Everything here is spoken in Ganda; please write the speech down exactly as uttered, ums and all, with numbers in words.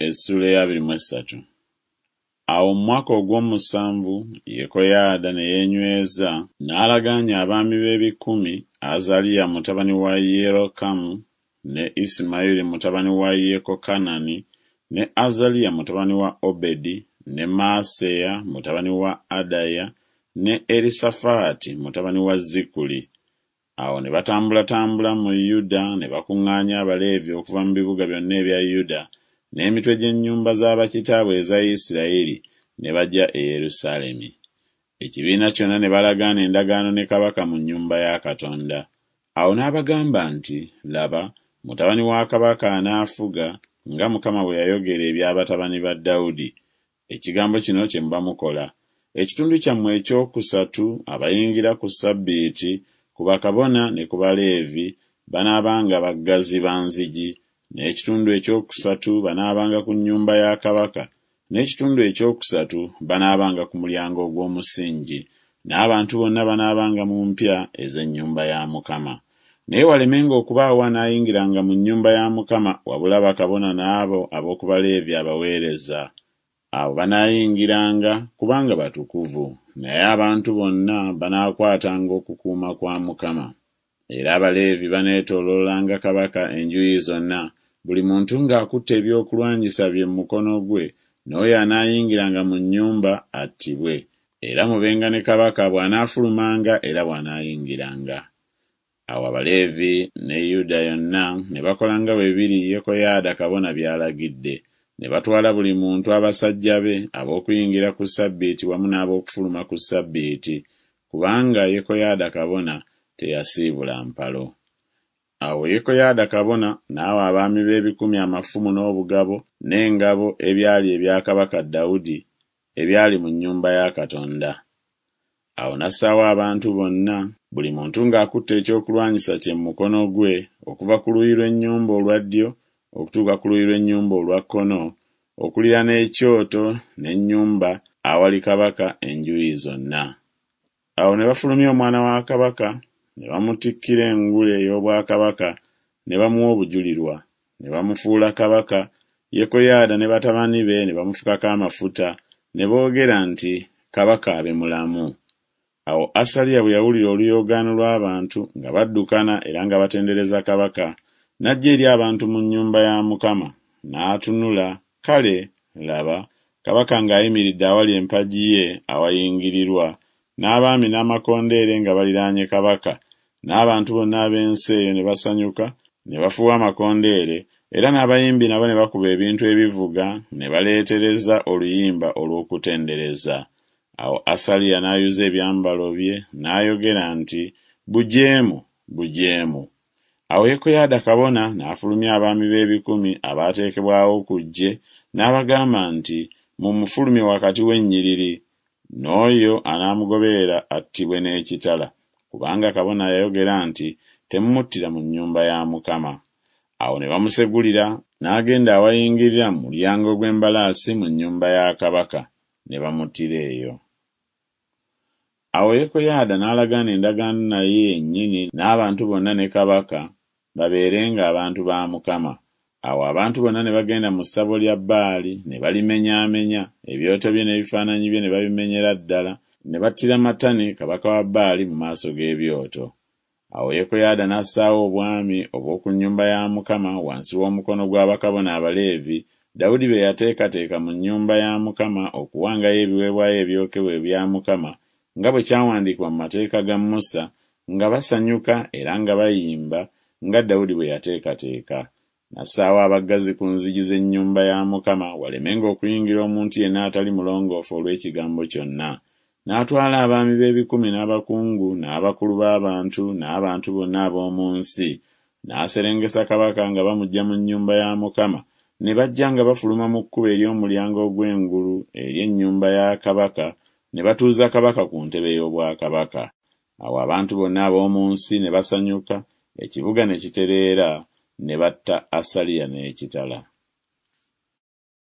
Essuula ey'abiri mu essatu. Awo mu mwaka ogw'omusanvu Yekoyaada ne yeenyweza n'alagaanya abaami b'ebikumi Azaliya mutabani wa Yerokamu ne Isimayiri mutabani wa Yekokanani ne Azaliya mutabani wa Obedi ne Maaseya mutabani wa Adaya ne Erisafaati mutabani wa Zikuli. Awo ne batambulatambula mu Yuda ne bakuŋŋaanya Abaleevi okuva mu bibuga byonna ebya Yuda n'emitwe gy'ennyumba za bakitaabwe eza Isirayiri ne bajja e Yerusaalemi. Ekibiina kyonna ne balagaana endagaano ne kabaka mu nnyumba ya Katonda. Awo n'abagamba nti, Laba, mutabani wa kabaka anaafuga nga Mukama bwe yayogera ebya batabani ba Dawudi. Ekigambo kino kye muba mukola. Ekitundu kyammwe ekyokusatu abayingira ku ssabbiiti ku bakabona ne ku Baleevi banaabanga baggazi ba nzigi, n'ekitundu ekyokusatu banaabanga ku nnyumba ya kabaka, n'ekitundu ekyokusatu banaabanga ku mulyango ogw'omusingi, n'abantu bonna banaabanga mu mpya ez'ennyumba ya Mukama. Naye walemenga okubaawo anaayingiranga mu nnyumba ya Mukama wabula bakabona n'abo ab'oku Baleevi abaweereza. Abo banaayingiranga kubanga batukuvu, naye abantu bonna banaakwatanga okukuuma kwa Mukama. Era Abaleevi baneetooloolanga kabaka enjuyi zonna, buli muntu ng'akutte ebyokulwanyisa bye mu mukono gwe, n'oyo anaayingiranga mu nnyumba attibwe. Era mubenga ne kabaka bw'anaafulumanga era bw'anaayingiranga. Awo Abaleevi ne Yuda yonna ne bakola nga bwe biri Yekoyaada kabona by'alagidde. Ne batwala buli muntu abasajja be ab'okuyingira ku ssabbiiti wamu n'ab'okufuluma ku ssabbiiti, kubanga Yekoyaada kabona teyasiibula mpalo. Awo Yekoyaada kabona n'awa abaami b'ebikumi amafumu n'obugabo n'engabo ebyali ebya kabaka Dawudi ebyali mu nnyumba ya Katonda. Awo n'assaawo abantu bonna, buli muntu ng'akutte ekyokulwanyisa kye mu mukono gwe, okuva ku luuyi lw'ennyumba olwa ddyo okutuuka ku luuyi lw'ennyumba olwa kkono, okuliraana ekyoto n'ennyumba awali kabaka enjuyi zonna. Awo ne bafulumya omwana wa kabaka, ne bamutikkira engule ey'obwakabaka, ne bamuwa obujulirwa, ne bamufuula kabaka. Yekoyaada ne batabani be ne bamufukako amafuta, ne boogera nti, Kabaka abe mulamu. Awo Asaliya bwe yawulira oluyoogaano lw'abantu nga baddukana era nga batendereza kabaka, n'ajja eri abantu mu nnyumba ya Mukama, n'atunula, kale, laba, kabaka ng'ayimiridde awali empagi ye awayingirirwa, n'abaami n'amakondeere nga baliraanye kabaka, n'abantu bonna ab'ensi eyo ne basanyuka, ne bafuuwa amakondeere, era n'abayimbi nabo ne bakuba ebintu ebivuga ne baleetereza oluyimba olw'okutendereza. Awo Asaliya n'ayuza ebyambalo bye n'ayogera nti, Bujeemu, bujeemu. Awo Yekoyaada kabona n'afulumya abaami b'ebikumi abaateekebwawo ku ggye, n'abagamba nti, Mumufulumye wakati w'ennyiriri, n'oyo anaamugoberera attibwe n'ekitala, kubanga kabona yayogera nti, Temumuttira mu nnyumba ya Mukama. Awo ne bamusegulira n'agenda awayingirira mu mulyango gw'embalaasi mu nnyumba ya kabaka, ne bamuttira eyo. Awo Yekoyaada n'alagaana endagaano naye yennyini n'abantu bonna ne kabaka, babeerenga abantu ba Mukama. Awo abantu bonna ne bagenda mu ssabo lya Baali ne balimenyaamenya, ebyoto bye n'ebifaananyi bye ne babimenyera ddala, ne battira Matani kabaka wa Baali mu maaso g'ebyoto. Awo Yekoyaada n'assaawo obwami obw'oku nnyumba ya Mukama wansi w'omukono gwa bakabona Abaleevi, Dawudi be yateekateeka mu nnyumba ya Mukama okuwangayo ebiweebwayo ebyokebwa ebya Mukama, nga bwe kyawandiikibwa mu mateeka ga Musa, nga basanyuka era nga bayimba, nga Dawudi bwe yateekateeka. N'assaawo abaggazi ku nzigi z'ennyumba ya Mukama walemenga okuyingira omuntu yenna atali mulongoofu olw'ekigambo kyonna. N'atwala abaami b'ebikumi n'abakungu n'abakulu b'abantu n'abantu bonna ab'omu nsi, n'aserengesa kabaka nga bamuggya mu nnyumba ya Mukama, ne bajja nga bafuluma mu kkubo ery'omulyango ogw'engulu ery'ennyumba ya kabaka, ne batuuza kabaka ku ntebe y'obwakabaka. Awo abantu bonna ab'omu nsi ne basanyuka, ekibuga ne kitereera, ne batta Asaliya n'ekitala.